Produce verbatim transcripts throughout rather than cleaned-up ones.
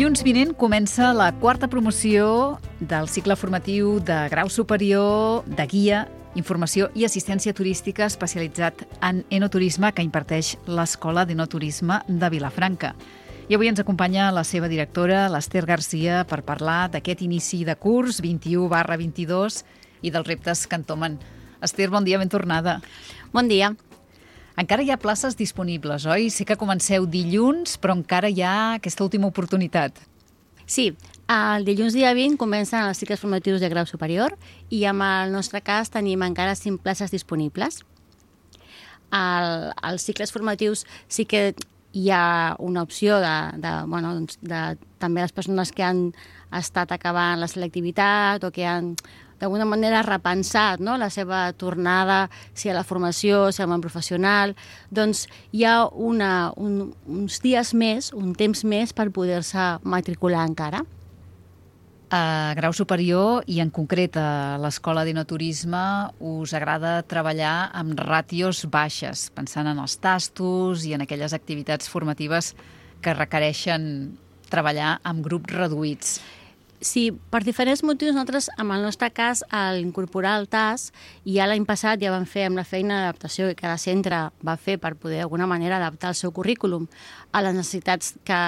Dilluns vinent comença la quarta promoció del cicle formatiu de grau superior de guia, informació i assistència turística especialitzat en enoturisme que imparteix l'Escola d'Enoturisme de Vilafranca. I avui ens acompanya la seva directora, l'Ester Garcia, per parlar d'aquest inici de curs vint-i-u barra vint-i-dos i dels reptes que entomen. Ester, bon dia, ben tornada. Bon dia. Encara hi ha places disponibles, oi? Sé que comenceu dilluns, però encara hi ha aquesta última oportunitat. Sí, el dilluns dia vint comencen els cicles formatius de grau superior i en el nostre cas tenim encara cinc places disponibles. El, els cicles formatius sí que hi ha una opció de, de, bueno, doncs de també les persones que han estat acabant la selectivitat o que han d'alguna manera repensat, no?, la seva tornada, si a la formació, si al món professional, doncs hi ha una, un, uns dies més, un temps més per poder-se matricular encara. A grau superior i en concret a l'Escola d'Enoturisme us agrada treballar amb ràtios baixes, pensant en els tastos i en aquelles activitats formatives que requereixen treballar amb grups reduïts. Sí, per diferents motius, nosaltres, en el nostre cas, al incorporar el T A S, ja l'any passat ja vam fer amb la feina d'adaptació que cada centre va fer per poder d'alguna manera adaptar el seu currículum a les necessitats que,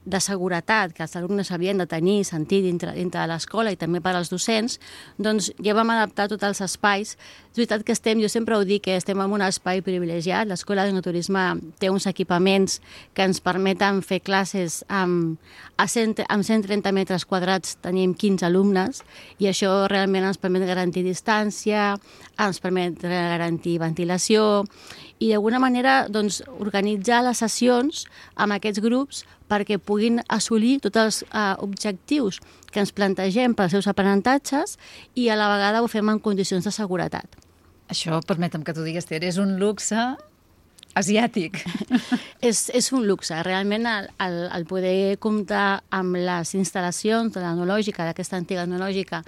de seguretat que els alumnes havien de tenir i sentir dintre, dintre de l'escola i també per als docents, doncs ja vam adaptar tots els espais. És veritat que estem, jo sempre ho dic, que estem en un espai privilegiat. L'Escola d'Enoturisme té uns equipaments que ens permeten fer classes amb, a cent, amb cent trenta metres quadrats, tenim quinze alumnes i això realment ens permet garantir distància, ens permet garantir ventilació i d'alguna manera doncs, organitzar les sessions amb aquests grups perquè puguin assolir tots els uh, objectius que ens plantegem pels seus aprenentatges i a la vegada ho fem en condicions de seguretat. Això, permetem que t'ho digues, Ter, és un luxe asiàtic. és, és un luxe. Realment el, el, el poder comptar amb les instal·lacions de l'enològica, d'aquesta antiga enològica,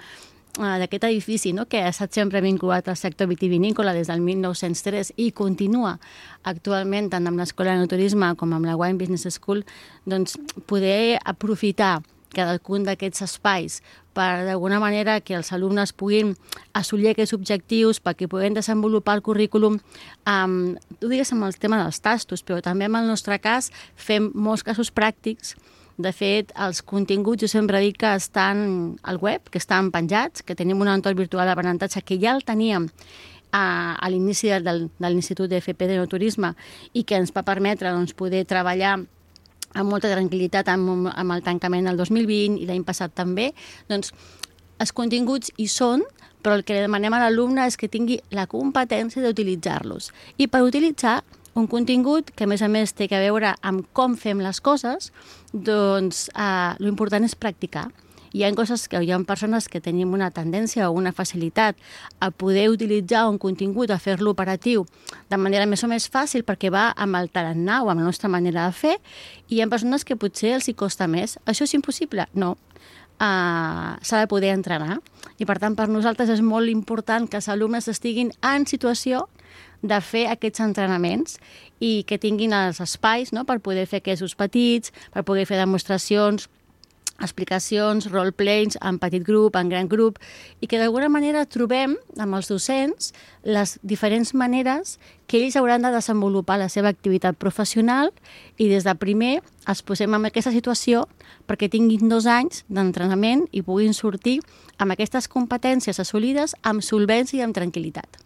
d'aquest edifici, no?, que ha estat sempre vinculat al sector vitivinícola des del mil nou-cents tres i continua actualment tant amb l'Escola d'Enoturisme com amb la Wine Business School, doncs poder aprofitar cadascun d'aquests espais per d'alguna manera que els alumnes puguin assolir aquests objectius, perquè puguin desenvolupar el currículum, um, tu digues amb el tema dels tastos, però també en el nostre cas fem molts casos pràctics. De fet, els continguts jo sempre dic que estan al web, que estan penjats, que tenim un entorn virtual d'aprenentatge que ja el teníem a, a l'inici del, de l'Institut d'F P d'Enoturisme i que ens va permetre doncs, poder treballar amb molta tranquil·litat amb, amb el tancament del dos mil vint i l'any passat també. Doncs els continguts hi són, però el que demanem a l'alumne és que tingui la competència d'utilitzar-los. I per utilitzar un contingut que, a més a més, té a veure amb com fem les coses, doncs eh, l'important és practicar. Hi ha coses que hi ha persones que tenim una tendència o una facilitat a poder utilitzar un contingut, a fer-lo operatiu de manera més o més fàcil perquè va amb el tarannà o amb la nostra manera de fer, i hi ha persones que potser els hi costa més. Això és impossible? No. Uh, s'ha de poder entrenar i, per tant, per nosaltres és molt important que els alumnes estiguin en situació de fer aquests entrenaments i que tinguin els espais, no?, per poder fer aquests petits, per poder fer demostracions, explicacions, roleplays en petit grup, en gran grup, i que d'alguna manera trobem amb els docents les diferents maneres que ells hauran de desenvolupar la seva activitat professional i des de primer els posem en aquesta situació perquè tinguin dos anys d'entrenament i puguin sortir amb aquestes competències assolides amb solvència i amb tranquil·litat.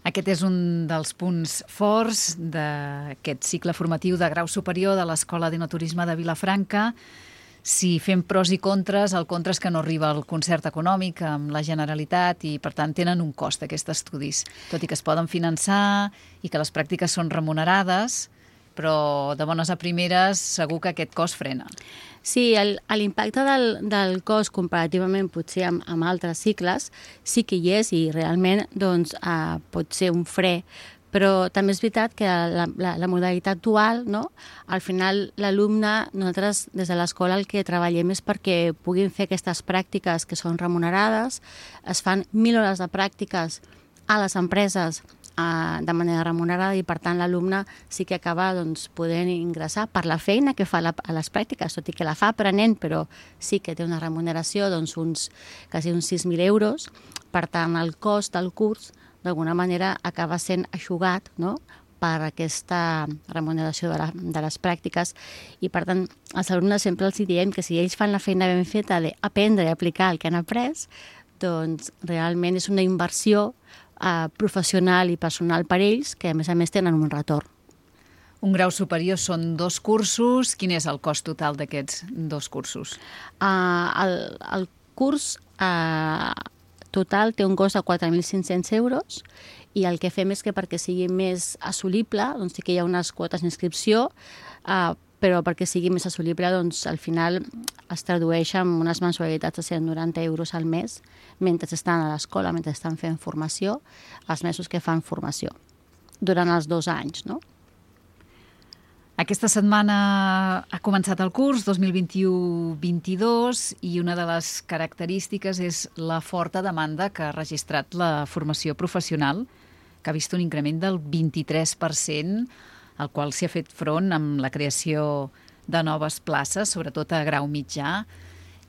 Aquest és un dels punts forts d'aquest cicle formatiu de grau superior de l'Escola d'Enoturisme de Vilafranca. Si fem pros i contres, el contra és que no arriba el concert econòmic amb la Generalitat i, per tant, tenen un cost aquests estudis. Tot i que es poden finançar i que les pràctiques són remunerades, però de bones a primeres segur que aquest cost frena. Sí, l'impacte del, del cost comparativament potser amb, amb altres cicles sí que hi és i realment doncs, eh, pot ser un fre, però també és veritat que la, la, la modalitat dual, no? Al final l'alumne, nosaltres des de l'escola el que treballem és perquè puguin fer aquestes pràctiques que són remunerades, es fan mil hores de pràctiques a les empreses de manera remunerada i, per tant, l'alumne sí que acaba doncs, podent ingressar per la feina que fa a les pràctiques, tot i que la fa aprenent, però sí que té una remuneració doncs, uns, quasi uns sis mil euros. Per tant, el cost del curs d'alguna manera acaba sent eixugat, no?, per aquesta remuneració de, la, de les pràctiques. I, per tant, als alumnes sempre els diem que si ells fan la feina ben feta d'aprendre i aplicar el que han après, doncs realment és una inversió eh, professional i personal per ells, que a més a més tenen un retorn. Un grau superior són dos cursos. Quin és el cost total d'aquests dos cursos? Uh, el, el curs uh, total té un cost de quatre mil cinc-cents euros i el que fem és que perquè sigui més assolible, doncs sí que hi ha unes quotes d'inscripció, uh, però perquè sigui més assolible, doncs al final es tradueix en unes mensualitats de cent noranta euros al mes mentre estan a l'escola, mentre estan fent formació, els mesos que fan formació, durant els dos anys, no? Aquesta setmana ha començat el curs dos mil vint-i-u vint-i-dos i una de les característiques és la forta demanda que ha registrat la formació professional, que ha vist un increment del vint-i-tres per cent, al qual s'hi ha fet front amb la creació de noves places, sobretot a grau mitjà.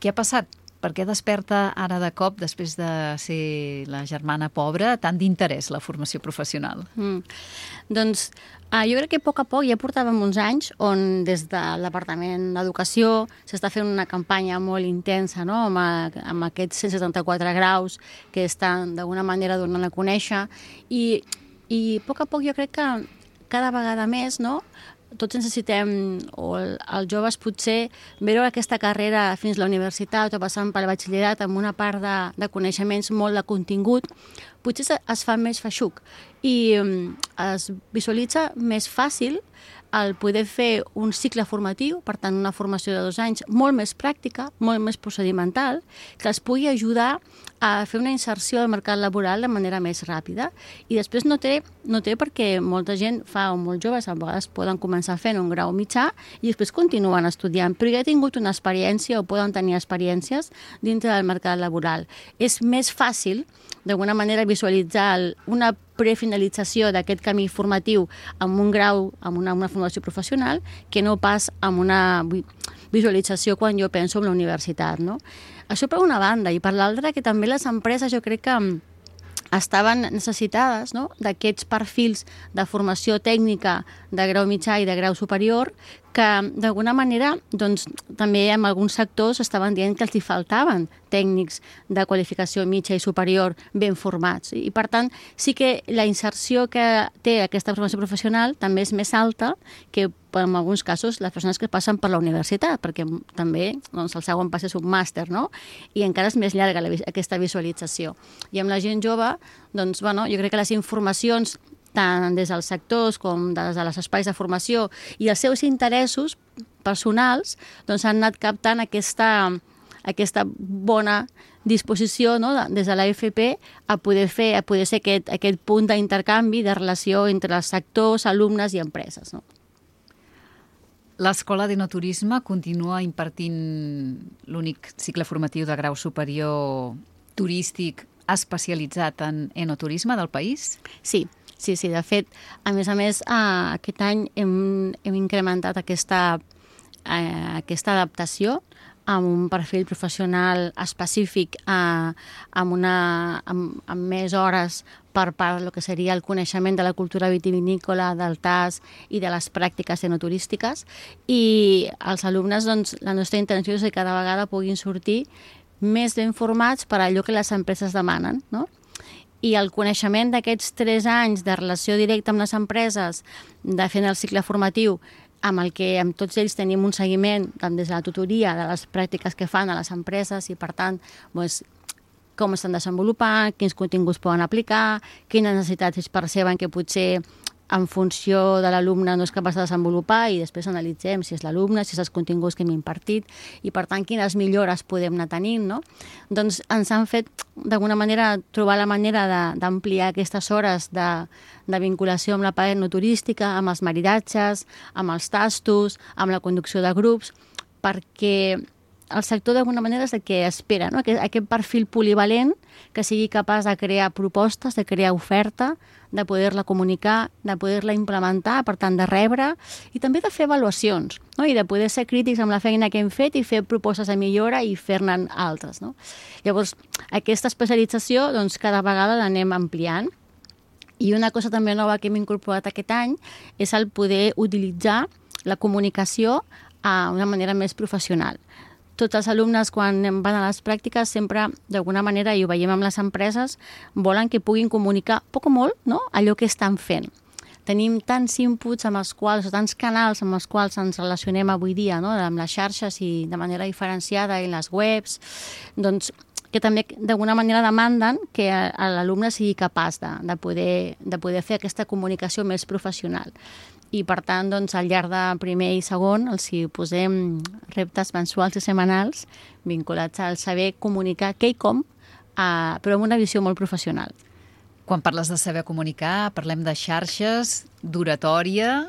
Què ha passat? Per què desperta ara de cop, després de ser la germana pobra, tant d'interès la formació professional? Mm. Doncs eh, jo crec que a poc a poc ja portàvem uns anys on des del Departament d'Educació s'està fent una campanya molt intensa, no?, amb, a, amb aquests cent setanta-quatre graus que estan d'alguna manera donant a conèixer i, i a poc a poc jo crec que cada vegada més, no?, tots necessitem, o els joves potser, veure aquesta carrera fins a la universitat o passant pel batxillerat amb una part de, de coneixements molt de contingut, potser es, es fa més feixuc i es visualitza més fàcil el poder fer un cicle formatiu, per tant una formació de dos anys molt més pràctica, molt més procedimental, que els pugui ajudar a fer una inserció al mercat laboral de manera més ràpida. I després no té, no té perquè molta gent fa, o molt joves, a vegades poden començar fent un grau mitjà i després continuen estudiant, però ja ha tingut una experiència o poden tenir experiències dintre del mercat laboral. És més fàcil, d'alguna manera, visualitzar una prefinalització d'aquest camí formatiu amb un grau, amb una, una formació professional, que no pas amb una visualització quan jo penso en la universitat, no? Això per una banda, i per l'altra que també les empreses jo crec que estaven necessitades, no?, d'aquests perfils de formació tècnica de grau mitjà i de grau superior que d'alguna manera doncs, també en alguns sectors estaven dient que els hi faltaven tècnics de qualificació mitja i superior ben formats. I per tant sí que la inserció que té aquesta formació professional també és més alta que en alguns casos les persones que passen per la universitat, perquè també doncs, el segon pas és un màster, no?, i encara és més llarga la, aquesta visualització. I amb la gent jove, doncs, bueno, jo crec que les informacions tant des dels sectors com des dels espais de formació i els seus interessos personals doncs han anat captant aquesta, aquesta bona disposició, no?, des de l'A F P a poder fer, a poder ser aquest, aquest punt d'intercanvi, de relació entre els sectors, alumnes i empreses, no? L'Escola d'Enoturisme continua impartint l'únic cicle formatiu de grau superior turístic especialitzat en enoturisme del país? Sí. Sí, sí, de fet, a més a més, eh, aquest any hem, hem incrementat aquesta, eh, aquesta adaptació amb un perfil professional específic, eh, amb, una, amb, amb més hores per part del que seria el coneixement de la cultura vitivinícola, del tas i de les pràctiques enoturístiques. I els alumnes, doncs, la nostra intenció és que cada vegada puguin sortir més ben formats per allò que les empreses demanen, no? I el coneixement d'aquests tres anys de relació directa amb les empreses, de fent el cicle formatiu, amb el que amb tots ells tenim un seguiment tant des de la tutoria de les pràctiques que fan a les empreses i, per tant, doncs, com estan desenvolupant, quins continguts poden aplicar, quines necessitats es perceben que potser en funció de l'alumne no és capaç de desenvolupar i després analitzem si és l'alumne, si és els continguts que hem impartit i, per tant, quines millores podem anar tenint, no? Doncs ens han fet, d'alguna manera, trobar la manera d'ampliar aquestes hores de, de vinculació amb la part no turística, amb els maridatges, amb els tastos, amb la conducció de grups, perquè el sector d'alguna manera és el que espera, no? Aquest, aquest perfil polivalent que sigui capaç de crear propostes, de crear oferta, de poder-la comunicar, de poder-la implementar, per tant, de rebre, i també de fer avaluacions, no? I de poder ser crítics amb la feina que hem fet i fer propostes de millora i fer-ne altres, no? Llavors, aquesta especialització, doncs, cada vegada l'anem ampliant. I una cosa també nova que hem incorporat aquest any és el poder utilitzar la comunicació a una manera més professional. Tots els alumnes, quan van a les pràctiques, sempre, d'alguna manera, i ho veiem amb les empreses, volen que puguin comunicar poc o molt, no?, allò que estan fent. Tenim tants inputs amb els quals, o tants canals amb els quals ens relacionem avui dia, no?, amb les xarxes i de manera diferenciada en les webs, doncs que també d'alguna manera demanden que l'alumne sigui capaç de, de, poder, de poder fer aquesta comunicació més professional. I, per tant, doncs, al llarg de primer i segon els hi posem reptes mensuals i setmanals vinculats al saber comunicar què i com, eh, però amb una visió molt professional. Quan parles de saber comunicar, parlem de xarxes, d'oratòria...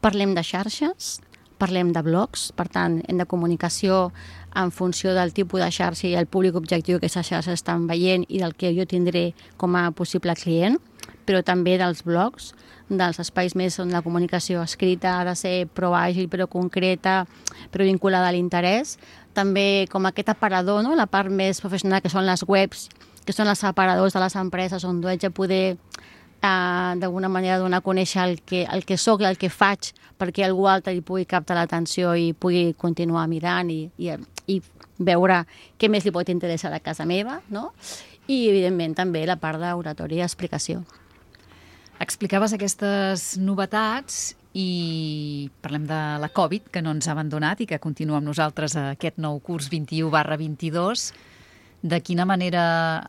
Parlem de xarxes, parlem de blogs, per tant, hem de comunicació en funció del tipus de xarxa i el públic objectiu que aquesta xarxa estan veient i del que jo tindré com a possible client, però també dels blogs, dels espais més on la comunicació escrita ha de ser prou àgil, però concreta, però vinculada a l'interès. També com aquest aparador, no?, la part més professional, que són les webs, que són els aparadors de les empreses, on haig de poder eh, d'alguna manera donar a conèixer el que, el que soc i el que faig, perquè algú altre hi pugui captar l'atenció i pugui continuar mirant i, i, i veure què més li pot interessar a casa meva, no? I, evidentment, també la part d'oratòria i explicació. Explicaves aquestes novetats i parlem de la Covid, que no ens ha abandonat i que continua amb nosaltres a aquest nou curs vint-i-u barra vint-i-dos. De quina manera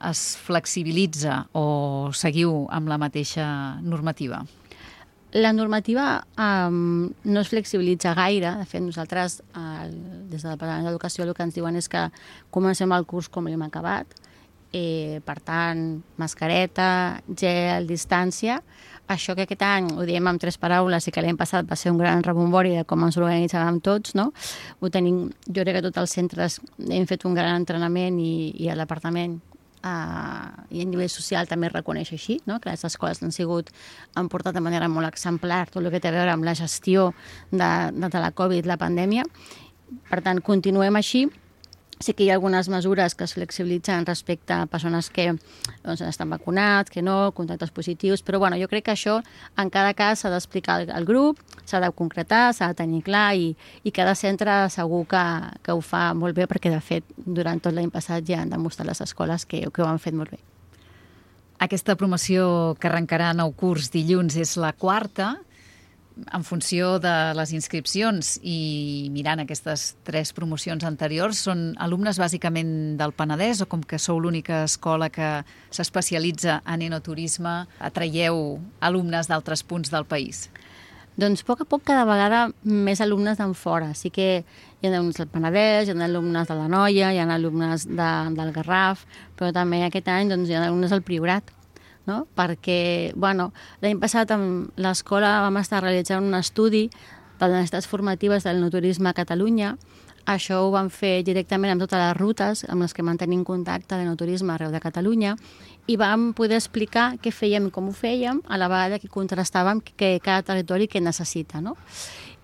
es flexibilitza o seguiu amb la mateixa normativa? La normativa um, no es flexibilitza gaire. De fet, nosaltres, uh, des del Departament d'Educació, el que ens diuen és que comencem el curs com l'hem acabat. Eh, per tant, mascareta, gel, distància. Això que aquest any ho diem amb tres paraules i que l'any passat va ser un gran rebombori de com ens organitzàvem tots, no? Ho tenim, jo crec que tots els centres hem fet un gran entrenament i, i el departament eh, i a nivell social també es reconeix així, no? Que les escoles han sigut, han portat de manera molt exemplar tot el que té a veure amb la gestió de, de la Covid, la pandèmia. Per tant, continuem així. Sí que hi ha algunes mesures que es flexibilitzen respecte a persones que doncs, estan vacunats, que no, contactes positius, però bueno, jo crec que això en cada cas s'ha d'explicar al grup, s'ha de concretar, s'ha de tenir clar i, i cada centre segur que, que ho fa molt bé perquè, de fet, durant tot l'any passat ja han demostrat les escoles que, que ho han fet molt bé. Aquesta promoció que arrencarà nou curs dilluns és la quarta. En funció de les inscripcions i mirant aquestes tres promocions anteriors, són alumnes bàsicament del Penedès o com que sou l'única escola que s'especialitza en enoturisme, atraieu alumnes d'altres punts del país? Doncs a poc a poc cada vegada més alumnes d'en fora. Sí que hi ha alumnes del Penedès, hi ha alumnes de l'Anoia, hi ha alumnes de, del Garraf, però també aquest any doncs, hi ha alumnes del Priorat. No? Perquè, bueno, l'any passat amb l'escola vam estar realitzant un estudi de les necessitats formatives del enoturisme a Catalunya. Això ho vam fer directament amb totes les rutes amb les que mantenim contacte de enoturisme arreu de Catalunya i vam poder explicar què fèiem i com ho fèiem, a la vegada que contrastàvem que cada territori què necessita, no?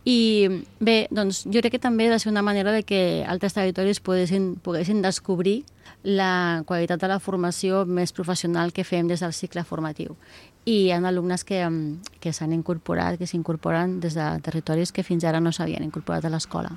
I bé, doncs jo crec que també ha de ser una manera de que altres territoris poguessin, poguessin descobrir la qualitat de la formació més professional que fem des del cicle formatiu. I hi ha alumnes que, que s'han incorporat, que s'incorporen des de territoris que fins ara no s'havien incorporat a l'escola.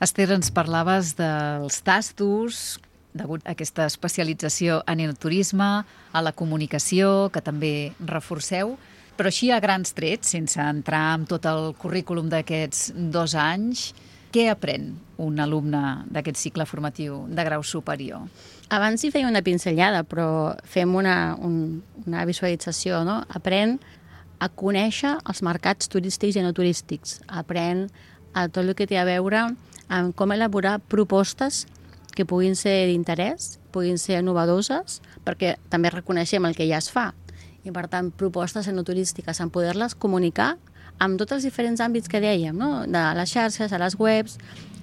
Esther, ens parlaves dels tastos, degut a aquesta especialització en enoturisme, a la comunicació, que també reforceu, però així a grans trets, sense entrar en tot el currículum d'aquests dos anys, què aprèn un alumne d'aquest cicle formatiu de grau superior? Abans hi feia una pinzellada, però fem una, un, una visualització, no? Aprèn a conèixer els mercats turístics i no turístics. Aprèn a tot el que té a veure amb com elaborar propostes que puguin ser d'interès, puguin ser innovadores, perquè també reconeixem el que ja es fa. I, per tant, propostes enoturístiques, en poder-les comunicar amb tots els diferents àmbits que dèiem, no? De les xarxes, a les webs,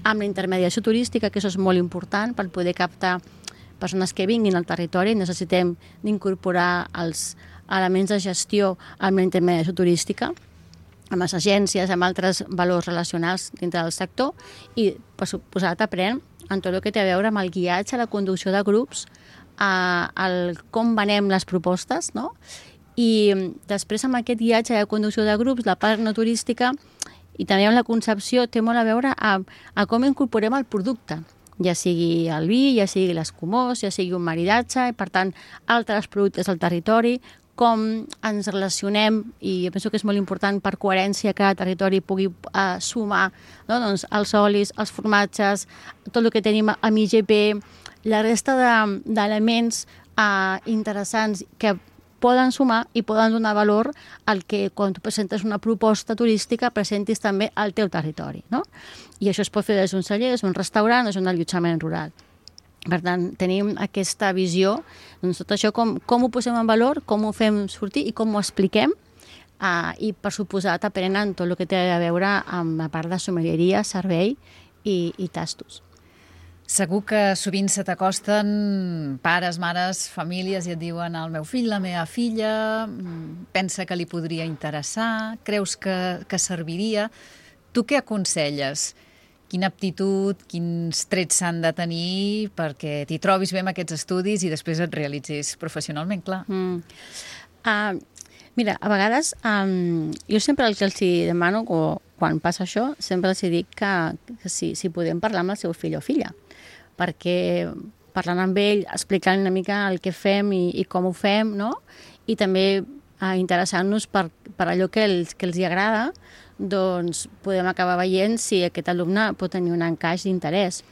amb la intermediació turística, que això és molt important per poder captar persones que vinguin al territori. Necessitem d'incorporar els elements de gestió amb la intermediació turística, amb les agències, amb altres valors relacionals dintre del sector i, per suposat, aprèn en tot el que té a veure amb el guiatge, la conducció de grups, a, el com venem les propostes, no? I després amb aquest guiatge de conducció de grups, la part no turística i també amb la concepció té molt a veure a, a com incorporem el producte, ja sigui el vi, ja sigui l'escumós, ja sigui un maridatge, i per tant altres productes al territori, com ens relacionem, i jo penso que és molt important per coherència que cada territori pugui uh, sumar, no? Doncs, els olis, els formatges, tot el que tenim amb I G P, la resta d'elements de, uh, interessants que poden sumar i poden donar valor al que quan tu presentes una proposta turística presentis també al teu territori, no? I això es pot fer des d'un celler, des d'un restaurant, des d'un allotjament rural. Per tant, tenim aquesta visió, doncs tot això com, com ho posem en valor, com ho fem sortir i com ho expliquem, uh, i per suposat aprenen tot el que té a veure amb la part de sommelieria, servei i, i tastos. Segur que sovint se t'acosten pares, mares, famílies i et diuen el meu fill, la meva filla, pensa que li podria interessar, creus que, que serviria. Tu què aconselles? Quina aptitud, quins trets s'han de tenir perquè t'hi trobis bé amb aquests estudis i després et realitzis professionalment, clar. Mm. Uh, mira, a vegades um, jo sempre el que els demano, o quan passa això, sempre els dic que, que si, si podem parlar amb el seu fill o filla, perquè parlant amb ell, explicant una mica el que fem i, i com ho fem, no? I també uh, interessant-nos per, per allò que els, que els hi agrada, doncs podem acabar veient si aquest alumne pot tenir un encaix d'interès.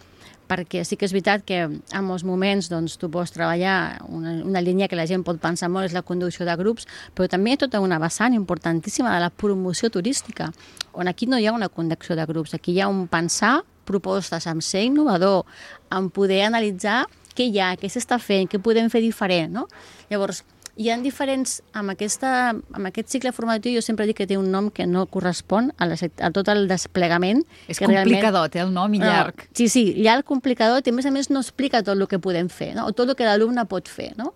Perquè sí que és veritat que en molts moments doncs, tu pots treballar una, una línia que la gent pot pensar molt, és la conducció de grups, però també hi ha tota una vessant importantíssima de la promoció turística, on aquí no hi ha una conducció de grups, aquí hi ha un pensar propostes, amb ser innovador, amb poder analitzar què hi ha, què s'està fent, què podem fer diferent, no? Llavors, hi ha diferents, amb, aquesta, amb aquest cicle formatiu, jo sempre dic que té un nom que no correspon a, la, a tot el desplegament. És complicadot, eh, el nom, i llarg. No, sí, sí, llarg, complicadot, i a més a més no explica tot el que podem fer, no? O tot el que l'alumne pot fer, no?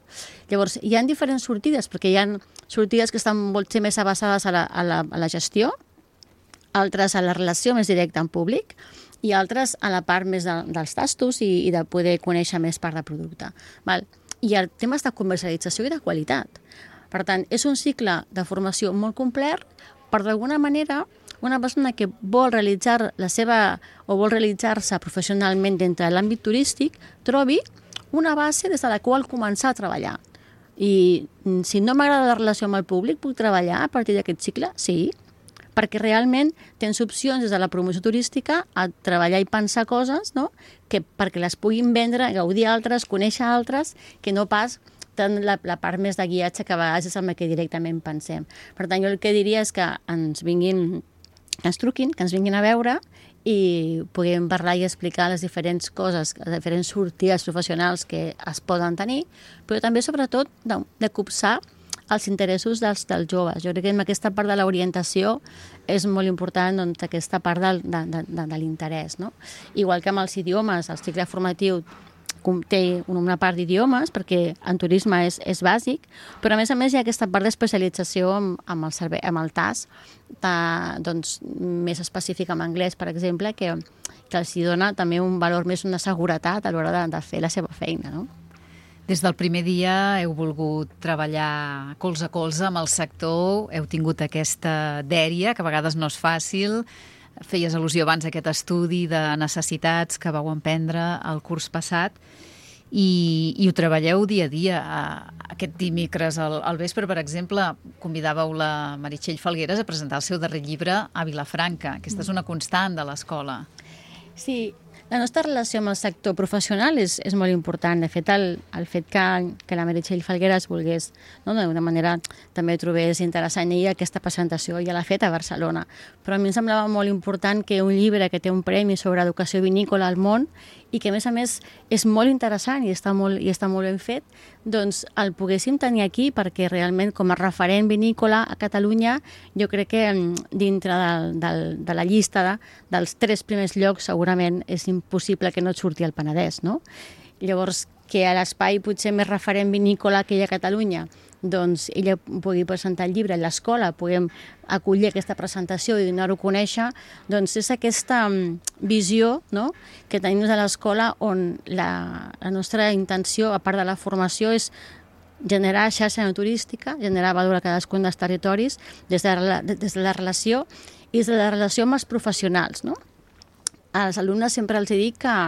Llavors, hi ha diferents sortides, perquè hi ha sortides que estan molt més avançades a la, a la, a la gestió, altres a la relació més directa amb públic, i altres a la part més de, dels tastos i, i de poder conèixer més part de producte. Val? I el tema és de comercialització i de qualitat. Per tant, és un cicle de formació molt complet, per d'alguna manera una persona que vol realitzar la seva o vol realitzar-se professionalment dintre de l'àmbit turístic trobi una base des de la qual començar a treballar. I si no m'agrada la relació amb el públic, puc treballar a partir d'aquest cicle? Sí, perquè realment tens opcions des de la promoció turística a treballar i pensar coses, no? Que perquè les puguin vendre, gaudir altres, conèixer altres, que no pas tant la, la part més de guiatge que a vegades és amb el que directament pensem. Per tant, jo el que diria és que ens vinguin, que ens truquin, que ens vinguin a veure i puguem parlar i explicar les diferents coses, les diferents sortides professionals que es poden tenir, però també, sobretot, de, de copsar els interessos dels, dels joves. Jo crec que en aquesta part de l'orientació és molt important, doncs, aquesta part del, de, de, de, de l'interès, no? Igual que amb els idiomes, el cicle formatiu té una part d'idiomes, perquè en turisme és, és bàsic, però a més a més hi ha aquesta part d'especialització amb, amb, el servei, amb el T A S, de, doncs, més específic en anglès, per exemple, que, que els dona també un valor més, una seguretat a l'hora de, de fer la seva feina, no? Des del primer dia heu volgut treballar colze a colze amb el sector, heu tingut aquesta dèria, que a vegades no és fàcil. Feies al·lusió abans a aquest estudi de necessitats que vau emprendre el curs passat i, i ho treballeu dia a dia. Aquest dimecres al, al vespre, per exemple, convidàveu la Meritxell Falgueres a presentar el seu darrer llibre a Vilafranca. Aquesta és una constant de l'escola. Sí, La nostra relació amb el sector professional és, és molt important. De fet, el, el fet que, que la Meritxell Falgueras volgués, no, d'una manera també trobés interessant ella aquesta presentació, ja l'ha fet a Barcelona. Però a mi em semblava molt important que un llibre que té un premi sobre educació vinícola al món i que, a més a més, és molt interessant i està molt, i està molt ben fet, doncs el poguéssim tenir aquí perquè realment, com a referent vinícola a Catalunya, jo crec que dintre de, de, de la llista de, dels tres primers llocs segurament és impossible que no et surti el Penedès, no? Llavors, que a l'espai potser més referent vinícola que hi ha a Catalunya, doncs ella pugui presentar el llibre a l'escola, puguem acollir aquesta presentació i donar-ho a conèixcer, doncs és aquesta visió, no?, que tenim a l'escola on la, la nostra intenció, a part de la formació, és generar xarxa turística, generar valor a cadascun dels territoris des de, la, des de la relació i des de la relació amb els professionals, no? Als alumnes sempre els dic que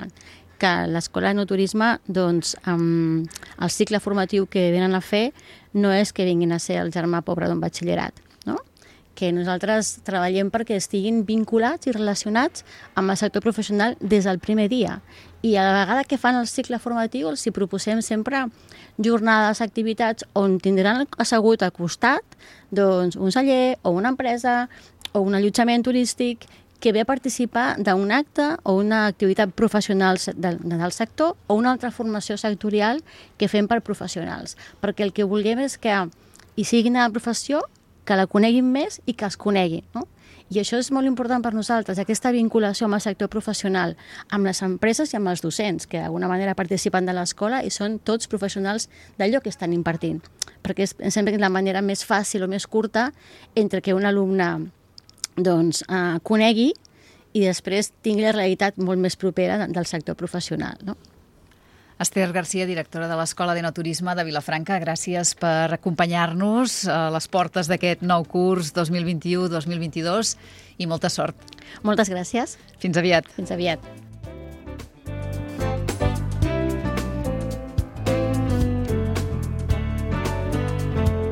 que l'escola d'enoturisme, doncs, amb el cicle formatiu que venen a fer no és que vinguin a ser el germà pobre d'un batxillerat, no? Que nosaltres treballem perquè estiguin vinculats i relacionats amb el sector professional des del primer dia. I a la vegada que fan el cicle formatiu els hi proposem sempre jornades, activitats on tindran assegut al costat doncs, un celler o una empresa o un allotjament turístic que ve a participar d'un acte o una activitat professional del, del sector o una altra formació sectorial que fem per professionals. Perquè el que vulguem és que hi siguin a la professió, que la coneguin més i que els coneguin, no? I això és molt important per nosaltres, aquesta vinculació amb el sector professional, amb les empreses i amb els docents, que d'alguna manera participen de l'escola i són tots professionals d'allò que estan impartint. Perquè és, em sembla que és la manera més fàcil o més curta entre que un alumne doncs, eh, conegui i després tingui la realitat molt més propera del sector professional, no? Esther Garcia, directora de l'Escola d'Enoturisme de Vilafranca, gràcies per acompanyar-nos a les portes d'aquest nou curs dos mil vint u dos mil vint dos i molta sort. Moltes gràcies. Fins aviat. Fins aviat.